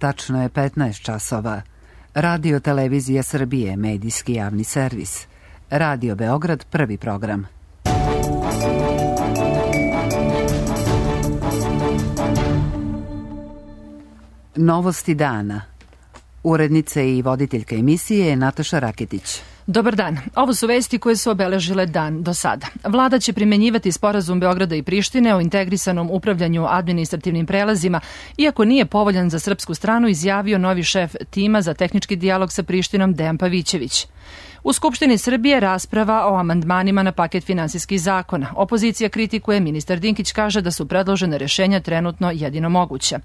tačno je 15 časova. Radio Televizija Srbije, medijski javni servis. Radio Beograd, prvi program. Novosti dana. Urednica i voditeljka emisije je Nataša Raketić. Dobar dan. Ovo su vesti koje su obeležile dan do sada. Vlada će primenjivati sporazum Beograda i Prištine o integrisanom upravljanju administrativnim prelazima, iako nije povoljan za srpsku stranu, izjavio novi šef tima za tehnički dijalog sa Prištinom Dejan Pavićević. U Skupštini Srbije rasprava o amandmanima na paket finansijskih zakona. Opozicija kritikuje, ministar Dinkić kaže da su predložene rešenja trenutno jedino moguće.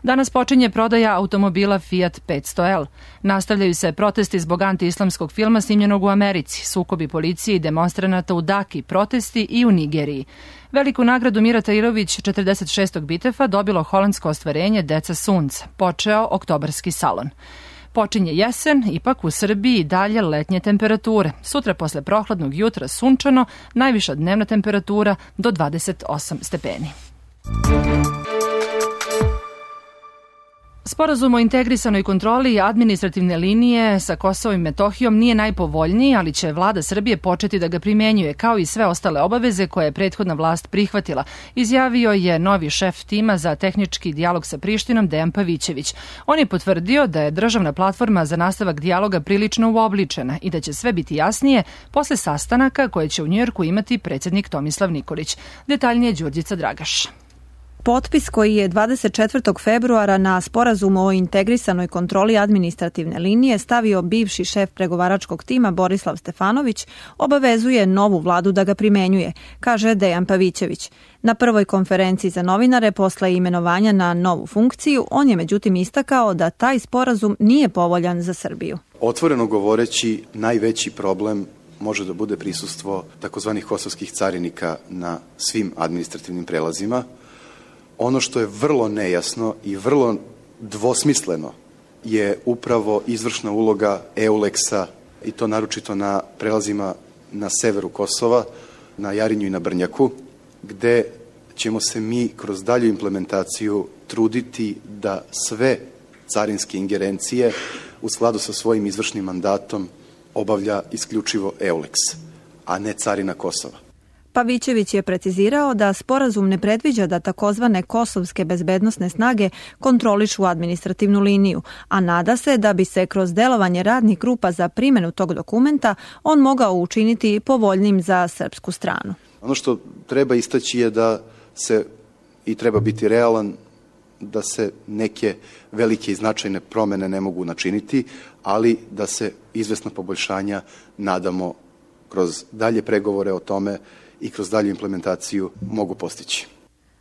Danas počinje prodaja automobila Fiat 500L. Nastavljaju se protesti zbog anti-islamskog filma snimljenog u Americi, sukobi policije i demonstranata u Daki, protesti i u Nigeriji. Veliku nagradu Mira Tairović 46. Bitefa dobilo holandsko ostvarenje Deca sunca. Počeo oktobarski salon. Počinje jesen, ipak u Srbiji dalje letnje temperature. Sutra posle prohladnog jutra sunčano, najviša dnevna temperatura do 28 stepeni. Sporazum o integrisanoj kontroli administrativne linije sa Kosovom i Metohijom nije najpovoljniji, ali će vlada Srbije početi da ga primenjuje, kao i sve ostale obaveze koje je prethodna vlast prihvatila, izjavio je novi šef tima za tehnički dijalog sa Prištinom Dejan Pavićević. On je potvrdio da je državna platforma za nastavak dijaloga prilično uobličena i da će sve biti jasnije posle sastanaka koje će u Njujorku imati predsjednik Tomislav Nikolić. Detaljnije Đurđica Dragaš. Potpis koji je 24. februara na sporazumu o integrisanoj kontroli administrativne linije stavio bivši šef pregovaračkog tima Borislav Stefanović obavezuje novu vladu da ga primenjuje, kaže Dejan Pavićević. Na prvoj konferenciji za novinare posle imenovanja na novu funkciju, on je međutim istakao da taj sporazum nije povoljan za Srbiju. Otvoreno govoreći, najveći problem može da bude prisustvo takozvanih kosovskih carinika na svim administrativnim prelazima. Ono što je vrlo nejasno i vrlo dvosmisleno je upravo izvršna uloga EULEX-a i to naročito na prelazima na severu Kosova, na Jarinju i na Brnjaku, gde ćemo se mi kroz dalju implementaciju truditi da sve carinske ingerencije u skladu sa svojim izvršnim mandatom obavlja isključivo EULEX, a ne carina Kosova. Pavićević je precizirao da sporazum ne predviđa da takozvane kosovske bezbednosne snage kontrolišu administrativnu liniju, a nada se da bi se kroz delovanje radnih grupa za primjenu tog dokumenta on mogao učiniti povoljnim za srpsku stranu. Ono što treba istaći je da se, i treba biti realan, da se neke velike i značajne promene ne mogu načiniti, ali da se izvesna poboljšanja nadamo kroz dalje pregovore o tome i kroz dalju implementaciju mogu postići.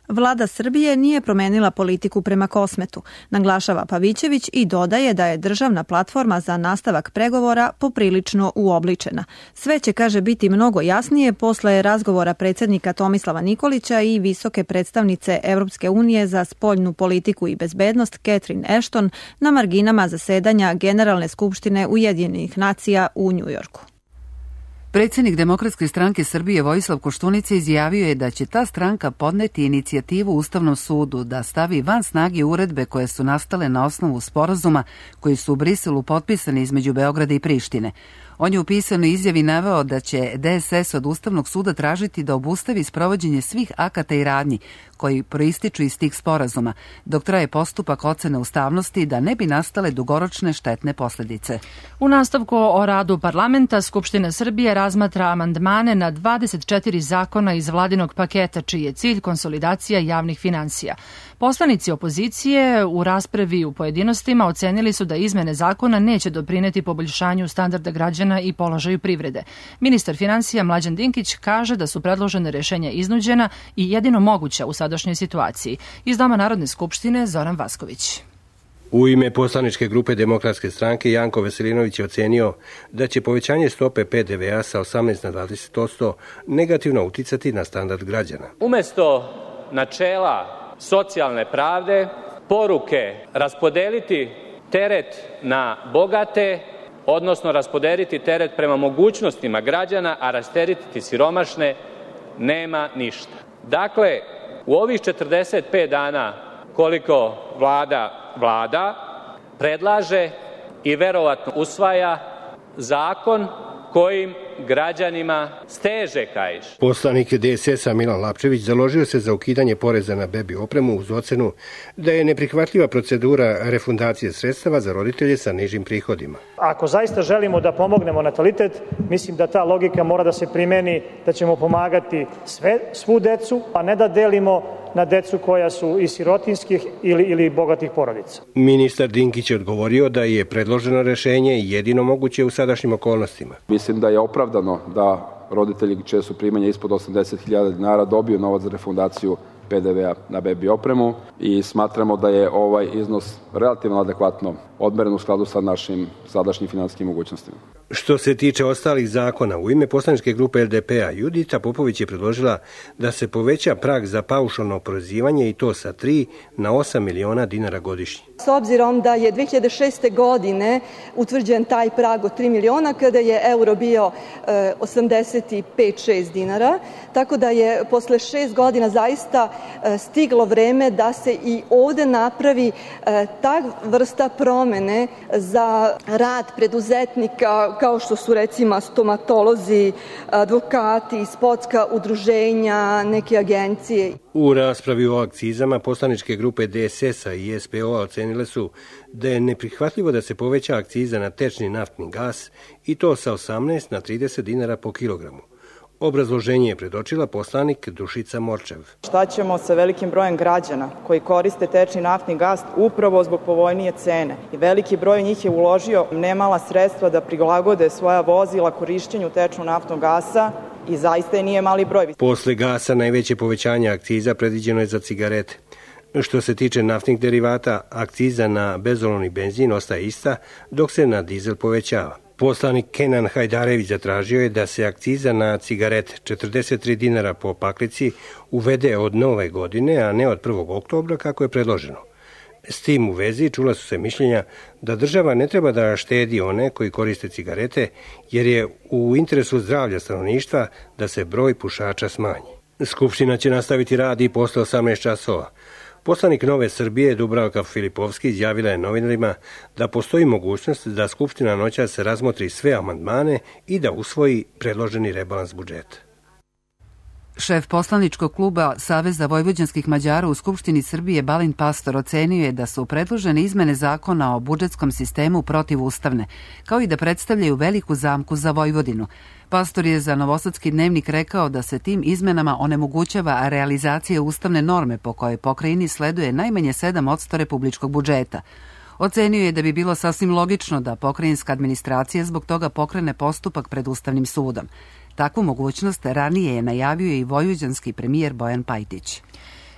Vlada Srbije nije promenila politiku prema Kosmetu, naglašava Pavićević i dodaje da je državna platforma za nastavak pregovora poprilično uobličena. Sve će, kaže, biti mnogo jasnije posle razgovora predsjednika Tomislava Nikolića i visoke predstavnice Evropske unije za spoljnu politiku i bezbednost Catherine Ashton na marginama zasedanja Generalne skupštine Ujedinjenih nacija u Njujorku. Predsjednik Demokratske stranke Srbije Vojislav Koštunica izjavio je da će ta stranka podneti inicijativu Ustavnom sudu da stavi van snage uredbe koje su nastale na osnovu sporazuma koji su u Briselu potpisani između Beograda i Prištine. On je u pisanoj izjavi naveo da će DSS od Ustavnog suda tražiti da obustavi sprovođenje svih akata i radnji koji proističu iz tih sporazuma, dok traje postupak ocene ustavnosti da ne bi nastale dugoročne štetne posljedice. U nastavku o radu parlamenta, Skupština Srbije razmatra amandmane na 24 zakona iz vladinog paketa, čiji je cilj konsolidacija javnih finansija. Poslanici opozicije u raspravi u pojedinostima ocenili su da izmene zakona neće doprineti poboljšanju standarda građana i položaju privrede. Ministar finansija Mlađan Dinkić kaže da su predložene rešenja iznuđena i jedino moguća u sadašnjoj situaciji. Iz Doma Narodne skupštine Zoran Vasković. U ime poslaničke grupe Demokratske stranke Janko Veselinović je ocenio da će povećanje stope PDV-a sa 18 na 20% negativno uticati na standard građana. Umesto načela socijalne pravde, poruke raspodeliti teret na bogate, odnosno raspodeliti teret prema mogućnostima građana, a rasteretiti siromašne, nema ništa. Dakle, u ovih 45 dana koliko vlada, predlaže i verovatno usvaja zakon kojim građanima steže kaiš. Poslanik DSS-a Milan Lapčević založio se za ukidanje poreza na bebi opremu uz ocenu da je neprihvatljiva procedura refundacije sredstava za roditelje sa nižim prihodima. Ako zaista želimo da pomognemo natalitet, mislim da ta logika mora da se primeni, da ćemo pomagati svu decu, a ne da delimo na decu koja su iz sirotinskih ili bogatih porodica. Ministar Dinkić je odgovorio da je predloženo rešenje jedino moguće u sadašnjim okolnostima. Mislim da je opravdano da roditelji čije su primanja ispod 80.000 dinara dobiju novac za refundaciju PDV-a na bebi opremu i smatramo da je ovaj iznos relativno adekvatno odmeren u skladu sa našim sadašnjim finansijskim mogućnostima. Što se tiče ostalih zakona, u ime poslaničke grupe LDP-a Judita Popović je predložila da se poveća prag za paušalno oporezivanje i to sa 3 na 8 miliona dinara godišnje. S obzirom da je 2006. godine utvrđen taj prag od 3 miliona kada je euro bio 85-6 dinara, tako da je posle 6 godina zaista stiglo vreme da se i ovde napravi ta vrsta promene za rad preduzetnika kao što su recimo stomatolozi, advokati, sportska udruženja, neke agencije. U raspravi o akcizama poslaničke grupe DSS-a i SPO-a ocenile su da je neprihvatljivo da se poveća akciza na tečni naftni gas i to sa 18 na 30 dinara po kilogramu. Obrazloženje je predočila poslanik Dušica Morčev. Šta ćemo sa velikim brojem građana koji koriste tečni naftni gas upravo zbog povoljnije cene? I veliki broj njih je uložio nemala sredstva da prilagode svoja vozila korišćenju tečnog naftnog gasa i zaista je nije mali broj. Posle gasa najveće povećanje akciza predviđeno je za cigarete. Što se tiče naftnih derivata, akciza na bezolovni benzin ostaje ista, dok se na dizel povećava. Poslanik Kenan Hajdarević zatražio je da se akciza na cigarete 43 dinara po paklici uvede od nove godine, a ne od 1. oktobra kako je predloženo. S tim u vezi čula su se mišljenja da država ne treba da štedi one koji koriste cigarete, jer je u interesu zdravlja stanovništva da se broj pušača smanji. Skupština će nastaviti rad i posle 18 časova. Poslanik Nove Srbije Dubravka Filipovski izjavila je novinarima da postoji mogućnost da Skupština noćas razmotri sve amandmane i da usvoji predloženi rebalans budžeta. Šef poslaničkog kluba Saveza vojvođanskih Mađara u Skupštini Srbije Balint Pastor ocenio je da su predložene izmene zakona o budžetskom sistemu protivustavne, kao i da predstavljaju veliku zamku za Vojvodinu. Pastor je za Novosadski dnevnik rekao da se tim izmenama onemogućava realizacija ustavne norme po kojoj pokrajini sleduje najmanje 7% republičkog budžeta. Ocenio je da bi bilo sasvim logično da pokrajinska administracija zbog toga pokrene postupak pred Ustavnim sudom. Takvu mogućnost ranije je najavio i vojvođanski premijer Bojan Pajtić.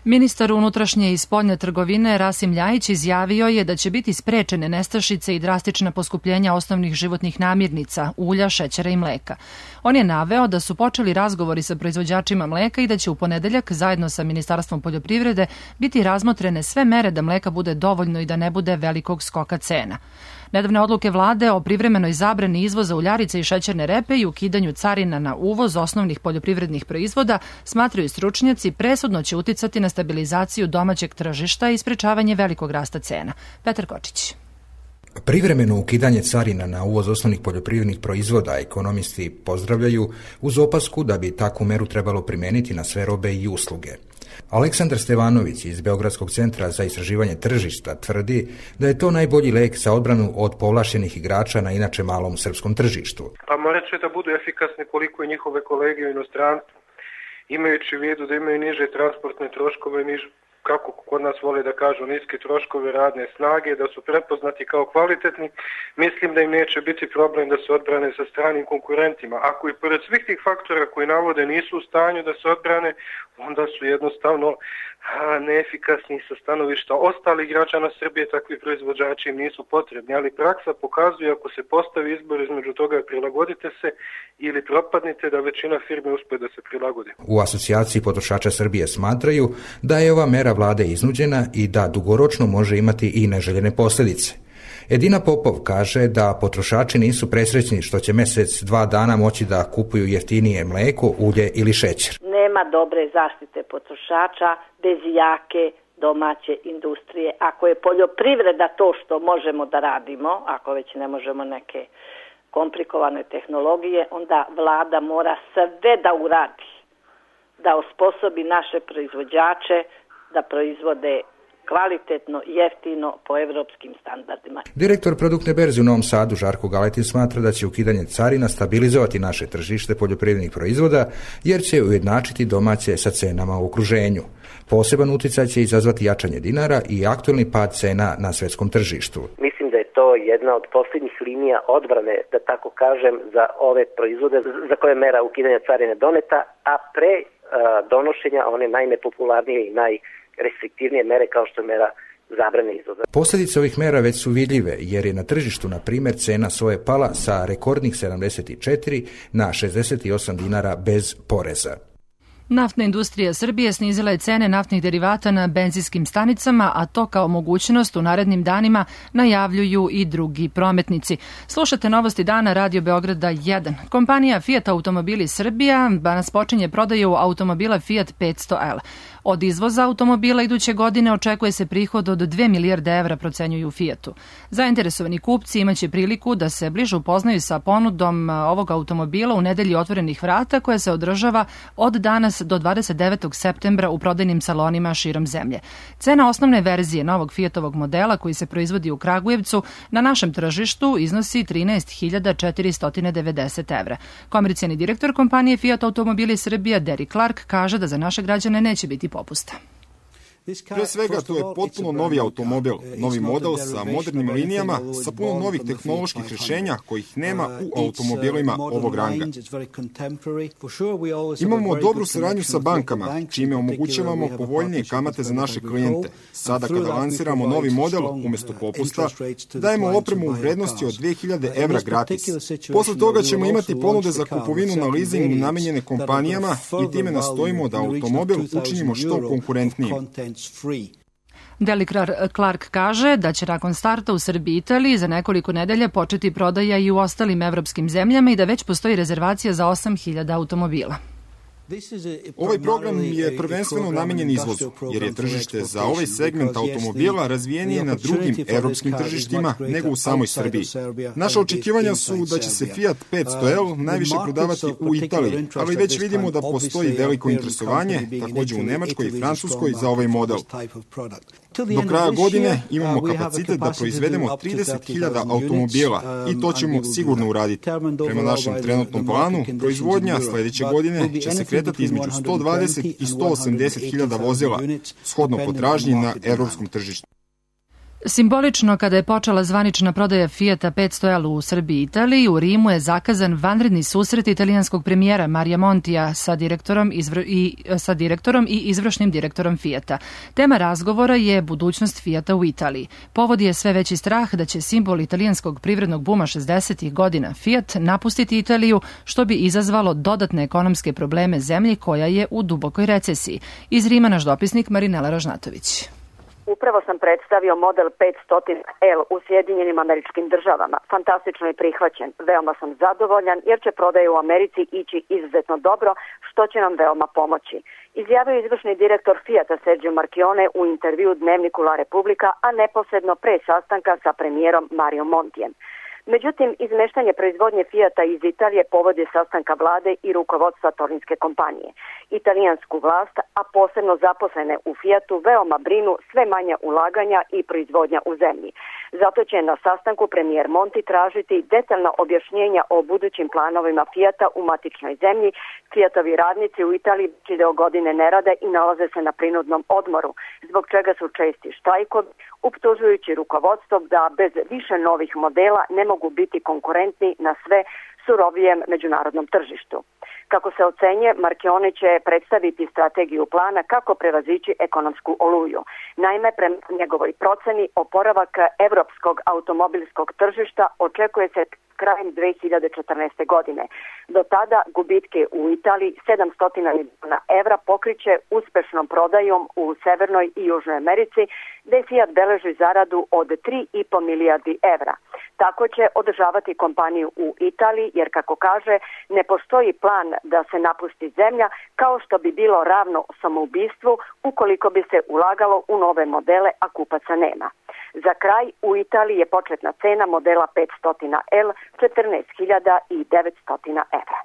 Ministar unutrašnje i spoljne trgovine Rasim Ljajić izjavio je da će biti sprečene nestašice i drastična poskupljenja osnovnih životnih namirnica, ulja, šećera i mleka. On je naveo da su počeli razgovori sa proizvođačima mleka i da će u ponedeljak zajedno sa Ministarstvom poljoprivrede biti razmotrene sve mere da mleka bude dovoljno i da ne bude velikog skoka cena. Nedavne odluke vlade o privremenoj zabrani izvoza uljarice i šećerne repe i ukidanju carina na uvoz osnovnih poljoprivrednih proizvoda, smatraju stručnjaci, presudno će uticati na stabilizaciju domaćeg tržišta i sprečavanje velikog rasta cena. Petar Kočić. Privremeno ukidanje carina na uvoz osnovnih poljoprivrednih proizvoda ekonomisti pozdravljaju uz opasku da bi takvu meru trebalo primeniti na sve robe i usluge. Aleksandar Stevanović iz Beogradskog centra za istraživanje tržišta tvrdi da je to najbolji lek za odbranu od povlašćenih igrača na inače malom srpskom tržištu. Pa morat će da budu efikasni koliko i njihove kolege u inostranstvu, imajući u vidu da imaju niže transportne troškove, kako kod nas vole da kažu, niske troškove radne snage, da su prepoznati kao kvalitetni, mislim da im neće biti problem da se odbrane sa stranim konkurentima. Ako i pored svih tih faktora koji navode nisu u stanju da se odbrane, onda su jednostavno neefikasni sa stanovišta ostalih građana Srbije, takvi proizvođači im nisu potrebni, ali praksa pokazuje ako se postavi izbor između toga prilagodite se ili propadnite, da većina firme uspe da se prilagodi. U asocijaciji potrošača Srbije smatraju da je ova mera vlade iznuđena i da dugoročno može imati i neželjene posljedice. Edina Popov kaže da potrošači nisu presrećni što će mesec, 2 dana moći da kupuju jeftinije mleko, ulje ili šećer. Nema dobre zaštite potrošača bez jake domaće industrije. Ako je poljoprivreda to što možemo da radimo, ako već ne možemo neke komplikovane tehnologije, onda vlada mora sve da uradi, da osposobi naše proizvođače da proizvode kvalitetno, jeftino, po evropskim standardima. Direktor produktne berze u Novom Sadu Žarko Galetin smatra da će ukidanje carina stabilizovati naše tržište poljoprivrednih proizvoda, jer će ujednačiti domaće sa cenama u okruženju. Poseban uticaj će izazvati jačanje dinara i aktualni pad cena na svetskom tržištu. Mislim da je to jedna od posljednjih linija odbrane, da tako kažem, za ove proizvode za koje mera ukidanja carine doneta, a pre donošenja one najnepopularnije i najrestriktivnije mere kao što je mera zabrane izvoza. Posljedice ovih mera već su vidljive, jer je na tržištu, na primjer, cena soje pala sa rekordnih 74 na 68 dinara bez poreza. Naftna industrija Srbije snizila je cene naftnih derivata na benzinskim stanicama, a to kao mogućnost u narednim danima najavljuju i drugi prometnici. Slušate Novosti dana Radio Beograda 1. Kompanija Fiat Automobili Srbija danas počinje prodaju automobila Fiat 500L. Od izvoza automobila iduće godine očekuje se prihod od 2 milijarde evra, procenjuju Fiatu. Zainteresovani kupci imaće priliku da se bliže upoznaju sa ponudom ovog automobila u nedelji otvorenih vrata koja se održava od danas do 29. septembra u prodajnim salonima širom zemlje. Cena osnovne verzije novog Fiatovog modela koji se proizvodi u Kragujevcu na našem tržištu iznosi 13.490 evra. Komercijalni direktor kompanije Fiat Automobili Srbija Derek Clark kaže da za naše građane neće biti popusta. Pre svega, to je potpuno novi automobil, novi model sa modernim linijama, sa puno novih tehnoloških rješenja kojih nema u automobilima ovog ranga. Imamo dobru saradnju sa bankama, čime omogućavamo povoljnije kamate za naše klijente. Sada kada lansiramo novi model, umjesto popusta, dajemo opremu u vrednosti od 2000 evra gratis. Posle toga ćemo imati ponude za kupovinu na leasing namenjene kompanijama i time nastojimo da automobil učinimo što konkurentnijim. Derek Clark kaže da će nakon starta u Srbiji i Italiji za nekoliko nedelja početi prodaja i u ostalim evropskim zemljama i da već postoji rezervacija za 8.000 automobila. Ovaj program je prvenstveno namenjen izvozu, jer je tržište za ovaj segment automobila razvijenije na drugim evropskim tržištima nego u samoj Srbiji. Naša očekivanja su da će se Fiat 500L najviše prodavati u Italiji, ali već vidimo da postoji veliko interesovanje, također u Nemačkoj i Francuskoj, za ovaj model. Do kraja godine imamo kapacitet da proizvedemo 30.000 automobila i to ćemo sigurno uraditi. Prema našem trenutnom planu, proizvodnja sljedeće godine će se kretati između 120 i 180.000 vozila, shodno potražnji na evropskom tržištu. Simbolično, kada je počela zvanična prodaja Fiata 500L u Srbiji i Italiji, u Rimu je zakazan vanredni susret italijanskog premijera Marija Montija sa direktorom i izvršnim direktorom Fiata. Tema razgovora je budućnost Fiata u Italiji. Povod je sve veći strah da će simbol italijanskog privrednog buma 60. godina Fiat napustiti Italiju, što bi izazvalo dodatne ekonomske probleme zemlji koja je u dubokoj recesiji. Iz Rima naš dopisnik Marinela Ražnatović. Upravo sam predstavio model 500L u Sjedinjenim Američkim Državama. Fantastično je prihvaćen. Veoma sam zadovoljan jer će prodaje u Americi ići izuzetno dobro, što će nam veoma pomoći. Izjavio izvršni direktor Fiata Sergio Marchionne u intervju Dnevniku La Repubblica, a neposredno pre sastanka sa premijerom Mario Montijem. Međutim, izmeštanje proizvodnje Fiata iz Italije povod je sastanka vlade i rukovodstva torinske kompanije. Italijansku vlast, a posebno zaposlene u Fiatu, veoma brinu sve manja ulaganja i proizvodnja u zemlji. Zato će na sastanku premijer Monti tražiti detaljna objašnjenja o budućim planovima Fiata u matičnoj zemlji. Fiatovi radnici u Italiji već deo godine ne rade i nalaze se na prinudnom odmoru, zbog čega su česti štrajkovi, optužujući rukovodstvo da bez više novih modela ne mogu biti konkurentni na sve surovijem međunarodnom tržištu. Kako se ocenje, Marchionne će predstaviti strategiju plana kako prevazići ekonomsku oluju. Naime, prema njegovoj proceni, oporavak evropskog automobilskog tržišta očekuje se krajem 2014. godine. Do tada gubitke u Italiji 700 milijuna evra pokriće uspešnom prodajom u Severnoj i Južnoj Americi, gde Fiat beleži zaradu od 3,5 milijardi evra. Tako će održavati kompaniju u Italiji, jer kako kaže, ne postoji plan da se napusti zemlja, kao što bi bilo ravno samoubistvu ukoliko bi se ulagalo u nove modele, a kupaca nema. Za kraj, u Italiji je početna cena modela 500L 14.900 evra.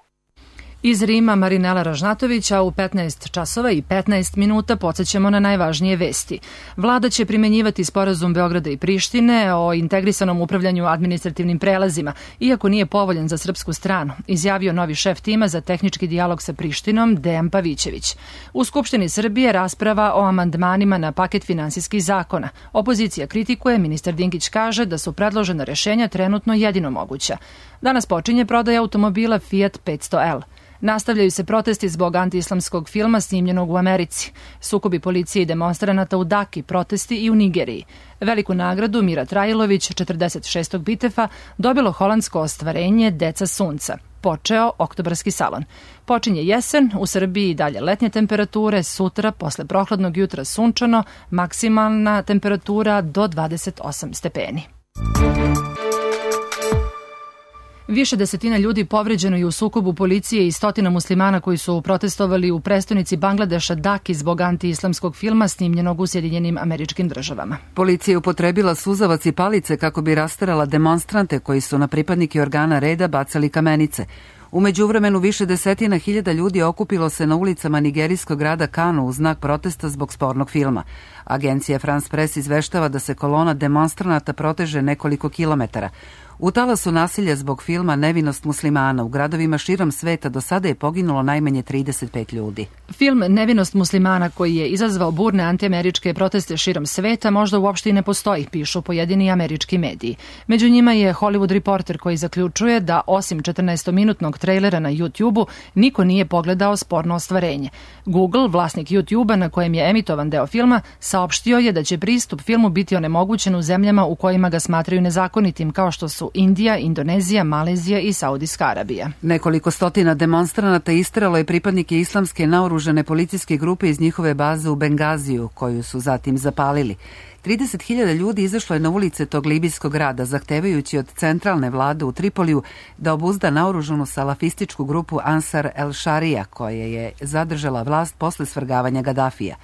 Iz Rima Marinela Ražnatović, a u 15 časova i 15 minuta podsjećamo na najvažnije vesti. Vlada će primenjivati sporazum Beograda i Prištine o integrisanom upravljanju administrativnim prelazima, iako nije povoljan za srpsku stranu, izjavio novi šef tima za tehnički dijalog sa Prištinom, Dejan Pavićević. U Skupštini Srbije rasprava o amandmanima na paket finansijskih zakona. Opozicija kritikuje, ministar Dinkić kaže da su predložena rešenja trenutno jedino moguća. Danas počinje prodaja automobila Fiat 500L. Nastavljaju se protesti zbog antiislamskog filma snimljenog u Americi. Sukobi policije i demonstranata u Daki, protesti i u Nigeriji. Veliku nagradu Mira Trajlović, 46. Bitefa, dobilo holandsko ostvarenje Deca sunca. Počeo oktobarski salon. Počinje jesen, u Srbiji dalje letnje temperature, sutra posle prohladnog jutra sunčano, maksimalna temperatura do 28 stepeni. Više desetina ljudi povređeno je u sukobu policije i stotina muslimana koji su protestovali u prestonici Bangladeša Daki zbog antiislamskog filma snimljenog u Sjedinjenim Američkim Državama. Policija je upotrebila suzavac i palice kako bi rasterala demonstrante koji su na pripadnike organa reda bacali kamenice. U međuvremenu više desetina hiljada ljudi okupilo se na ulicama nigerijskog grada Kanu u znak protesta zbog spornog filma. Agencija France Press izveštava da se kolona demonstranata proteže nekoliko kilometara. U talasu nasilja zbog filma Nevinost muslimana u gradovima širom sveta do sada je poginulo najmanje 35 ljudi. Film Nevinost muslimana, koji je izazvao burne antiameričke proteste širom sveta, možda uopšte i ne postoji, pišu pojedini američki mediji. Među njima je Hollywood Reporter koji zaključuje da osim 14-minutnog trejlera na YouTube-u niko nije pogledao sporno ostvarenje. Google, vlasnik YouTube-a na kojem je emitovan deo filma, saopštio je da će pristup filmu biti onemogućen u zemljama u kojima ga smatraju nezakonitim, kao što su Indija, Indonezija, Malezija i Saudijska Arabija. Nekoliko stotina demonstranata isteralo je pripadnike islamske naoružane policijske grupe iz njihove baze u Bengaziju, koju su zatim zapalili. 30.000 ljudi izašlo je na ulice tog libijskog grada, zahtevajući od centralne vlade u Tripoliju da obuzda naoružanu salafističku grupu Ansar el-Šarija, koja je zadržala vlast posle svrgavanja Gadafija.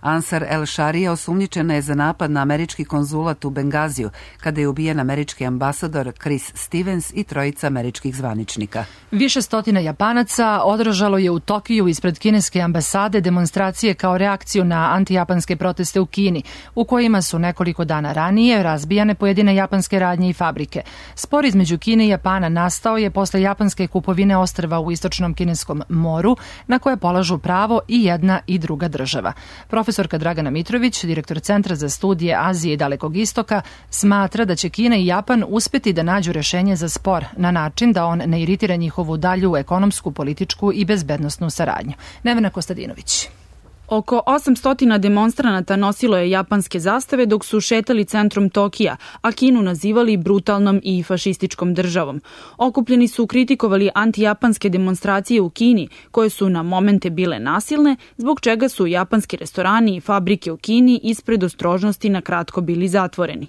Ansar el-Šarija osumnjičena je za napad na američki konzulat u Bengaziju, kada je ubijen američki ambasador Chris Stevens i trojica američkih zvaničnika. Više stotina Japanaca održalo je u Tokiju ispred kineske ambasade demonstracije kao reakciju na antijapanske proteste u Kini, u kojima su nekoliko dana ranije razbijane pojedine japanske radnje i fabrike. Spor između Kine i Japana nastao je posle japanske kupovine ostrva u istočnom kineskom moru, na koje polažu pravo i jedna i druga država. Profesorka Dragana Mitrović, direktor Centra za studije Azije i Dalekog istoka, smatra da će Kina i Japan uspeti da nađu rešenje za spor na način da on ne iritira njihovu dalju ekonomsku, političku i bezbednosnu saradnju. Nevena Kostadinović. Oko 800 demonstranata nosilo je japanske zastave dok su šetali centrom Tokija, a Kinu nazivali brutalnom i fašističkom državom. Okupljeni su kritikovali antijapanske demonstracije u Kini, koje su na momente bile nasilne, zbog čega su japanski restorani i fabrike u Kini ispred ostrožnosti na kratko bili zatvoreni.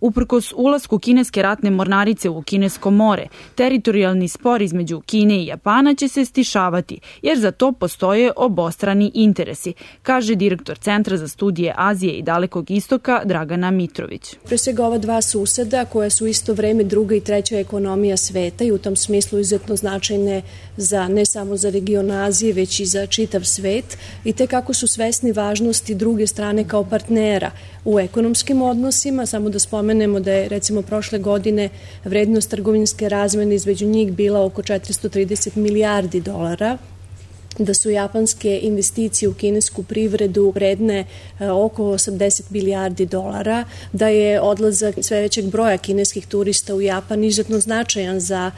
Uprkos ulasku kineske ratne mornarice u kinesko more, teritorijalni spor između Kine i Japana će se stišavati, jer za to postoje obostrani interesi, kaže direktor Centra za studije Azije i Dalekog istoka Dragana Mitrović. Pre svega ova dva suseda koja su isto vreme druga i treća ekonomija sveta i u tom smislu izuzetno značajne za ne samo za region Azije, već i za čitav svet i te kako su svesni važnosti druge strane kao partnera u ekonomskim odnosima. Samo da spomenemo da je recimo prošle godine vrednost trgovinske razmene između njih bila oko 430 milijardi dolara, da su japanske investicije u kinesku privredu vredne oko 80 milijardi dolara, da je odlazak sve većeg broja kineskih turista u Japan izuzetno značajan za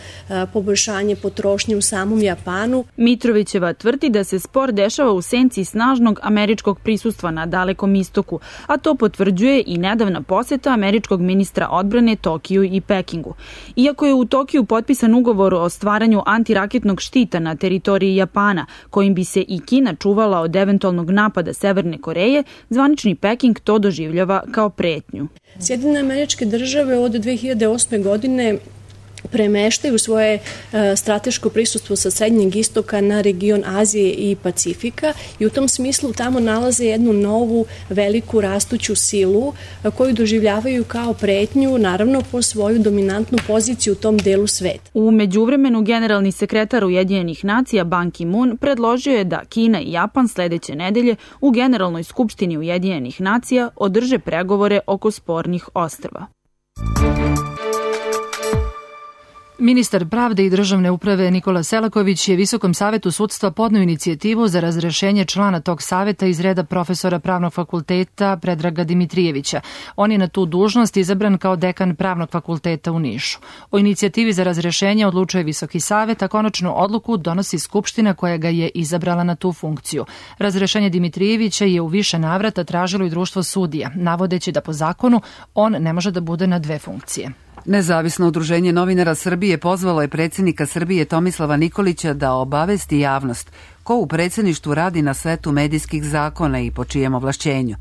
poboljšanje potrošnje u samom Japanu. Mitrovićeva tvrdi da se spor dešava u senci snažnog američkog prisustva na Dalekom istoku, a to potvrđuje i nedavna poseta američkog ministra odbrane Tokiju i Pekingu. Iako je u Tokiju potpisan ugovor o stvaranju antiraketnog štita na teritoriji Japana, kojim bi se i Kina čuvala od eventualnog napada Severne Koreje, zvanični Peking to doživljava kao pretnju. Sjedinjene Američke Države od 2008. godine premeštaju svoje strateško prisustvo sa Srednjeg istoka na region Azije i Pacifika i u tom smislu tamo nalaze jednu novu veliku rastuću silu koju doživljavaju kao pretnju, naravno po svoju dominantnu poziciju u tom delu sveta. U međuvremenu generalni sekretar Ujedinjenih nacija Ban Ki-moon predložio je da Kina i Japan sledeće nedelje u Generalnoj skupštini Ujedinjenih nacija održe pregovore oko spornih ostrva. Ministar pravde i državne uprave Nikola Selaković je Visokom savetu sudstva podneo inicijativu za razrešenje člana tog saveta iz reda profesora Pravnog fakulteta Predraga Dimitrijevića. On je na tu dužnost izabran kao dekan Pravnog fakulteta u Nišu. O inicijativi za razrešenje odlučuje Visoki savet, a konačnu odluku donosi Skupština koja ga je izabrala na tu funkciju. Razrešenje Dimitrijevića je u više navrata tražilo i društvo sudija, navodeći da po zakonu on ne može da bude na dve funkcije. Nezavisno udruženje novinara Srbije pozvalo je predsjednika Srbije Tomislava Nikolića da obavesti javnost ko u predsjedništvu radi na setu medijskih zakona i po čijem ovlašćenju.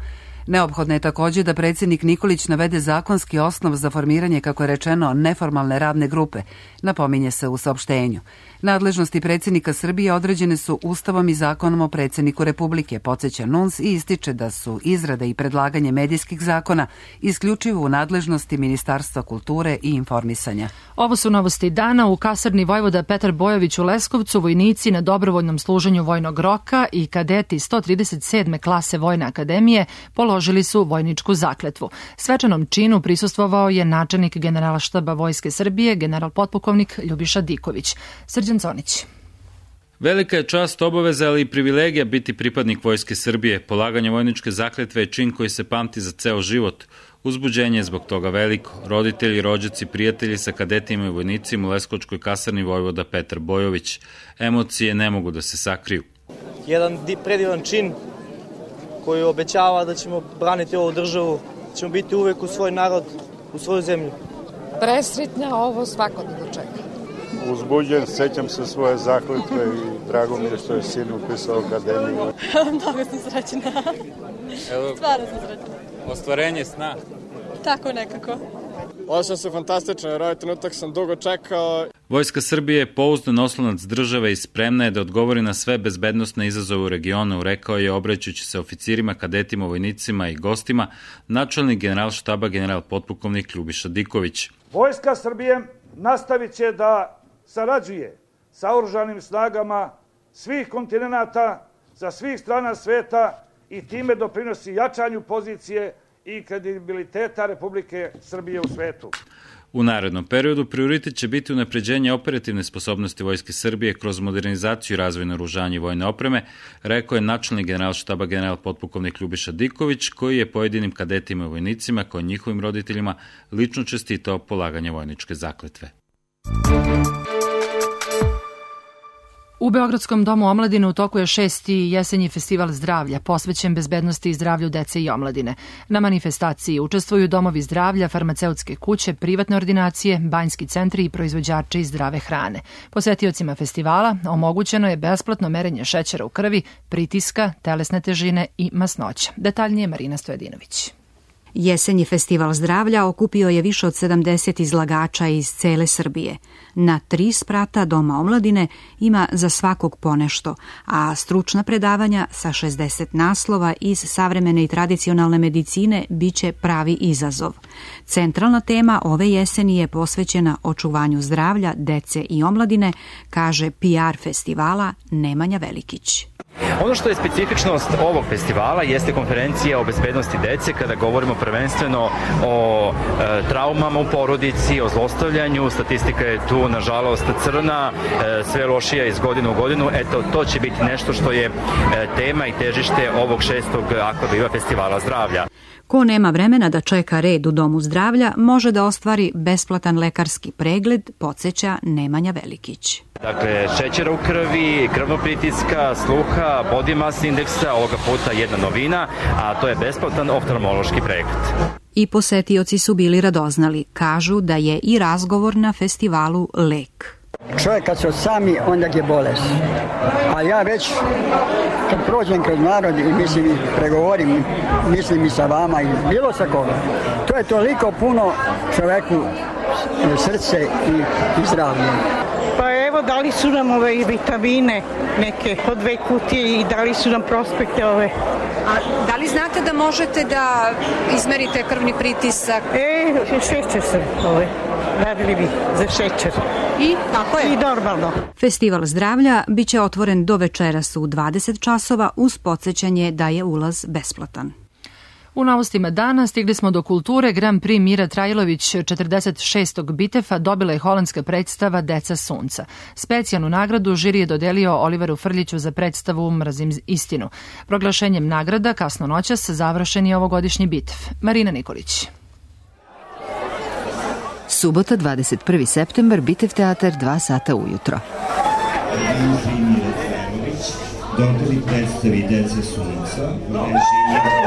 Neophodno je također da predsjednik Nikolić navede zakonski osnov za formiranje, kako je rečeno, neformalne radne grupe, napominje se u saopštenju. Nadležnosti predsjednika Srbije određene su Ustavom i Zakonom o predsjedniku Republike, podsjeća NUNS i ističe da su izrada i predlaganje medijskih zakona isključivo u nadležnosti Ministarstva kulture i informisanja. Ovo su novosti dana. U kasarni Vojvoda Petar Bojović u Leskovcu vojnici na dobrovoljnom služenju vojnog roka i kadeti 137. klase Vojne akademije položili su vojničku zakletvu. Svečanom činu prisustvovao je načelnik Generalštaba Vojske Srbije, general potpukovnik Ljubiša Diković. Srđan Conić. Velika je čast, obaveza, ali i privilegija biti pripadnik Vojske Srbije. Polaganje vojničke zakletve je čin koji se pamti za ceo život. Uzbuđenje je zbog toga veliko. Roditelji, rođaci, prijatelji sa kadetima i vojnicima u Leskovačkoj kasarni Vojvoda Petar Bojović. Emocije ne mogu da se sakriju. Jedan predivan čin koji obećava da ćemo braniti ovu državu, da ćemo biti uvek u svoj narod, u svoju zemlju. Presretna, ovo svakodnevno čeka. Uzbuđen, sećam se svoje zakletve i drago mi je što je sin upisao akademiju. Mnogo sam srećna. Stvarno sam srećna. Ostvarenje sna. Tako nekako. Osjećam se fantastično, jer ovaj trenutak sam dugo čekao. Vojska Srbije je pouzdan oslonac države i spremna je da odgovori na sve bezbednosne izazove u regionu, rekao je obraćajući se oficirima, kadetima, vojnicima i gostima načelnik Generalštaba general potpukovnik Ljubiša Diković. Vojska Srbije nastavit će da sarađuje sa oružanim snagama svih kontinenata, sa svih strana sveta i time doprinosi jačanju pozicije i kredibiliteta Republike Srbije u svetu. U narednom periodu prioritet će biti unapređenje operativne sposobnosti Vojske Srbije kroz modernizaciju i razvoj naoružanja i vojne opreme, rekao je načelnik Generalštaba general potpukovnik Ljubiša Diković, koji je pojedinim kadetima i vojnicima, kao i njihovim roditeljima, lično čestitao polaganje vojničke zakletve. U Beogradskom domu omladine u toku je 6. jesenji festival zdravlja, posvećen bezbednosti i zdravlju dece i omladine. Na manifestaciji učestvuju domovi zdravlja, farmaceutske kuće, privatne ordinacije, banjski centri i proizvođači zdrave hrane. Posetiocima festivala omogućeno je besplatno merenje šećera u krvi, pritiska, telesne težine i masnoća. Detaljnije Marina Stojadinović. Jesenji festival zdravlja okupio je više od 70 izlagača iz cele Srbije. Na 3 sprata Doma omladine ima za svakog ponešto, a stručna predavanja sa 60 naslova iz savremene i tradicionalne medicine biće pravi izazov. Centralna tema ove jeseni je posvećena očuvanju zdravlja dece i omladine, kaže PR festivala Nemanja Velikić. Ono što je specifičnost ovog festivala jeste konferencija o bezbednosti dece, kada govorimo prvenstveno o traumama u porodici, o zlostavljanju. Statistika je tu, nažalost, crna, sve lošija iz godine u godinu. Eto, to će biti nešto što je tema i težište ovog 6. Akvabiva festivala zdravlja. Ko nema vremena da čeka red u Domu zdravlja, može da ostvari besplatan lekarski pregled, podsjeća Nemanja Velikić. Dakle, šećera u krvi, krvnog pritiska, sluha, body mass indeksa, ovoga puta jedna novina, a to je besplatan oftalmološki pregled. I posetioci su bili radoznali. Kažu da je i razgovor na festivalu lek. Čovjek kad se osami, onda je bolest. A ja već kad prođem kroz narod i mislim i pregovorim, mislim i sa vama i bilo sa koga. To je toliko puno čovjeku srce i zdravlje. Pa evo, dali su nam ove vitamine, neke po 2 kutije i dali su nam prospekte ove. A da li znate da možete da izmerite krvni pritisak? Šećer sam radili bi za šećer. I tako je? I normalno. Festival zdravlja biće otvoren do večeras u 20 časova uz podsjećanje da je ulaz besplatan. U novostima dana stigli smo do kulture. Grand Prix Mira Trajlović 46. Bitefa dobila je holandska predstava Deca sunca. Specijalnu nagradu žiri je dodelio Oliveru Frljiću za predstavu Mrzim istinu. Proglašenjem nagrada kasno noćas završen je ovogodišnji Bitef. Marina Nikolić. Subota, 21. septembar, Bitev teatar, 2 sata ujutro. Dobili predstavi Deca sunca u režiji.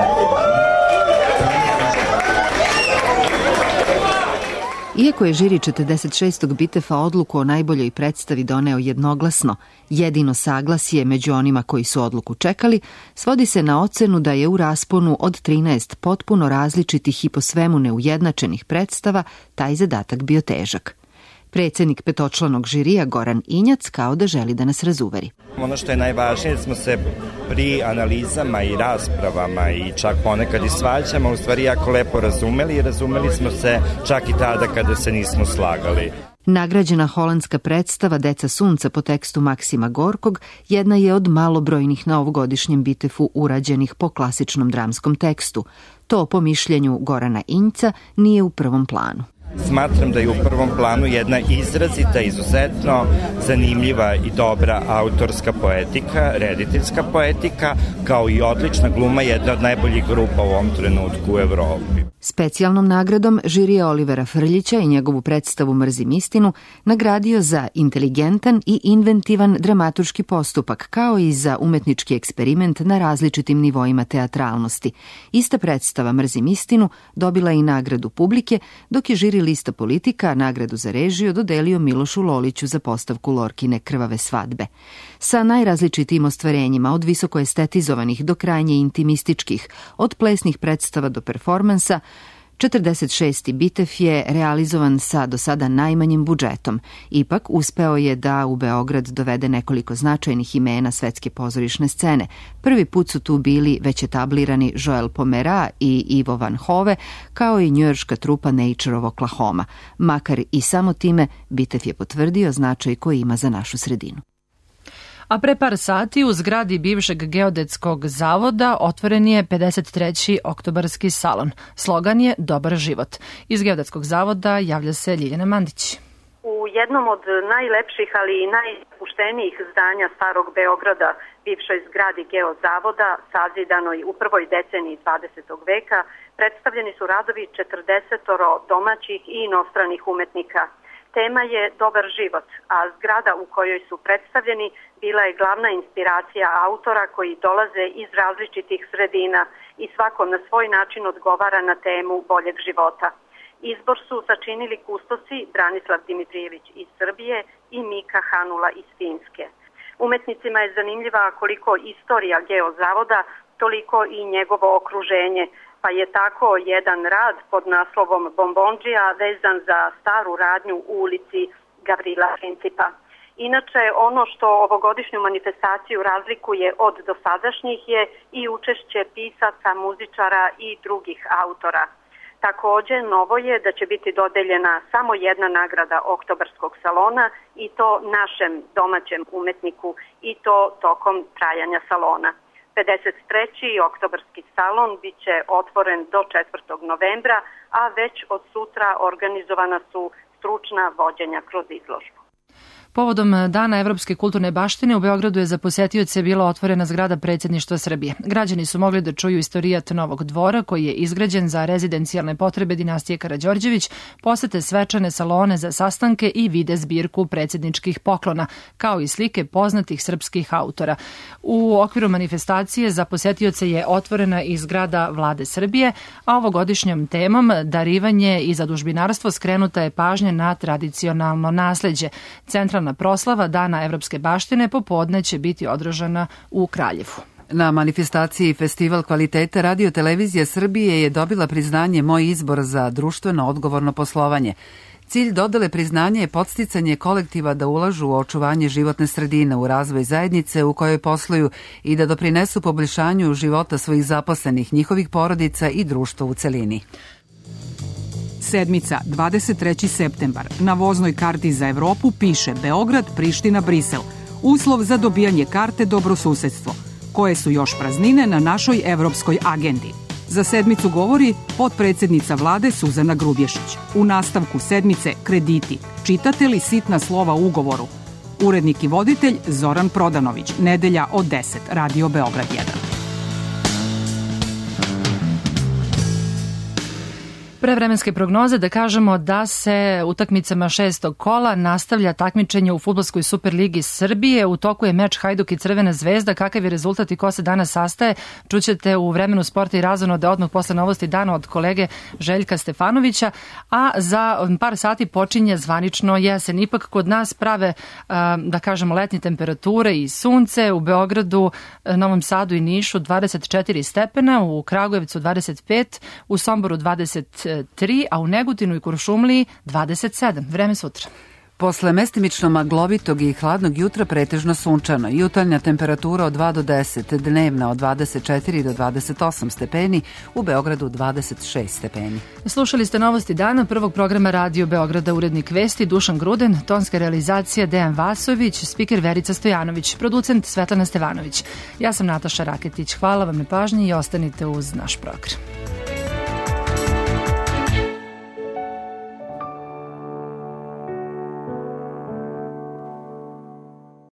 Iako je žiri 46. Bitefa odluku o najboljoj predstavi doneo jednoglasno, jedino saglasje među onima koji su odluku čekali, svodi se na ocenu da je u rasponu od 13 potpuno različitih i po svemu neujednačenih predstava taj zadatak bio težak. Predsjednik petočlanog žirija Goran Injac kao da želi da nas razuveri. Ono što je najvažnije, smo se pri analizama i raspravama i čak ponekad i svađama u stvari jako lepo razumeli i razumeli smo se čak i tada kada se nismo slagali. Nagrađena holandska predstava Deca sunca po tekstu Maksima Gorkog jedna je od malobrojnih na ovogodišnjem Bitefu urađenih po klasičnom dramskom tekstu. To po mišljenju Gorana Injca nije u prvom planu. Smatram da je u prvom planu jedna izrazita, izuzetno zanimljiva i dobra autorska poetika, rediteljska poetika, kao i odlična gluma jedna od najboljih grupa u ovom trenutku u Evropi. Specijalnom nagradom žirija Olivera Frljića i njegovu predstavu Mrzim istinu nagradio za inteligentan i inventivan dramaturški postupak, kao i za umetnički eksperiment na različitim nivoima teatralnosti. Ista predstava Mrzim istinu dobila i nagradu publike, dok je žiri lista politika nagradu za režiju dodelio Milošu Loliću za postavku Lorkine Krvave svadbe. Sa najrazličitijim ostvarenjima, od visoko estetizovanih do krajnje intimističkih, od plesnih predstava do performansa, 46. Bitef je realizovan sa do sada najmanjim budžetom. Ipak uspeo je da u Beograd dovede nekoliko značajnih imena svetske pozorišne scene. Prvi put su tu bili već etablirani Joel Pomera i Ivo Van Hove, kao i njujorška trupa Nature of Oklahoma. Makar i samo time, Bitef je potvrdio značaj koji ima za našu sredinu. A pre par sati u zgradi bivšeg geodetskog zavoda otvoren je 53. oktobarski salon. Slogan je Dobar život. Iz geodetskog zavoda javlja se Ljiljana Mandić. U jednom od najlepših, ali i najpuštenijih zdanja starog Beograda, bivšoj zgradi geozavoda, sazidanoj u prvoj deceniji 20. veka, predstavljeni su radovi 40 domaćih i inostranih umetnika. Tema je Dobar život, a zgrada u kojoj su predstavljeni bila je glavna inspiracija autora koji dolaze iz različitih sredina i svako na svoj način odgovara na temu boljeg života. Izbor su sačinili kustosi Branislav Dimitrijević iz Srbije i Mika Hanula iz Finske. Umetnicima je zanimljiva koliko istorija geozavoda, toliko i njegovo okruženje, pa je tako jedan rad pod naslovom Bombondžija vezan za staru radnju u ulici Gavrila Principa. Inače, ono što ovogodišnju manifestaciju razlikuje od dosadašnjih je i učešće pisaca, muzičara i drugih autora. Također, novo je da će biti dodeljena samo jedna nagrada oktobarskog salona i to našem domaćem umetniku i to tokom trajanja salona. 53. oktobarski salon bit će otvoren do 4. novembra, a već od sutra organizovana su stručna vođenja kroz izložbu. Povodom Dana evropske kulturne baštine u Beogradu je za posetioce bila otvorena zgrada Predsjedništva Srbije. Građani su mogli da čuju istorijat Novog dvora koji je izgrađen za rezidencijalne potrebe dinastije Karađorđević, posete svečane salone za sastanke i vide zbirku predsjedničkih poklona, kao i slike poznatih srpskih autora. U okviru manifestacije za posetioce je otvorena i zgrada Vlade Srbije, a ovogodišnjom temom darivanje i zadužbinarstvo skrenuta je pažnja na tradicionalno nasleđe. Centralna tradicionalna proslava Dana evropske baštine popodne će biti održana u Kraljevu. Na manifestaciji Festival kvaliteta Radio Televizija Srbije je dobila priznanje Moj izbor za društveno odgovorno poslovanje. Cilj dodele priznanja je podsticanje kolektiva da ulažu u očuvanje životne sredine, u razvoj zajednice u kojoj posluju i da doprinesu poboljšanju života svojih zaposlenih, njihovih porodica i društva u celini. Sedmica, 23. septembar. Na voznoj karti za Evropu piše Beograd, Priština, Brisel. Uslov za dobijanje karte dobrosusedstvo. Koje su još praznine na našoj evropskoj agendi? Za sedmicu govori potpredsednica vlade Suzana Grubješić. U nastavku sedmice krediti. Čitate li sitna slova u ugovoru? Urednik i voditelj Zoran Prodanović. Nedelja od 10. Radio Beograd 1. Prevremenske prognoze da kažemo da se utakmicama 6. kola nastavlja takmičenje u Fudbalskoj superligi Srbije. U toku je meč Hajduk i Crvena zvezda. Kakav je rezultat i ko se danas sastaje, čućete u vremenu sporta i razonode odmah posle novosti dana od kolege Željka Stefanovića, a za par sati počinje zvanično jesen. Ipak kod nas prave, da kažemo, letnje temperature i sunce. U Beogradu, Novom Sadu i Nišu 24 stepena, u Kragujevcu 25, u Somboru 23, a u Negotinu i Kuršumliji 27. Vreme sutra. Posle mestimično maglovitog i hladnog jutra pretežno sunčano. Jutarnja temperatura od 2 do 10, dnevna od 24 do 28 stepeni, u Beogradu 26 stepeni. Slušali ste novosti dana prvog programa Radio Beograda, urednik vesti Dušan Gruden, tonska realizacija Dejan Vasović, spiker Verica Stojanović, producent Svetlana Stevanović. Ja sam Nataša Raketić. Hvala vam na pažnji i ostanite uz naš program.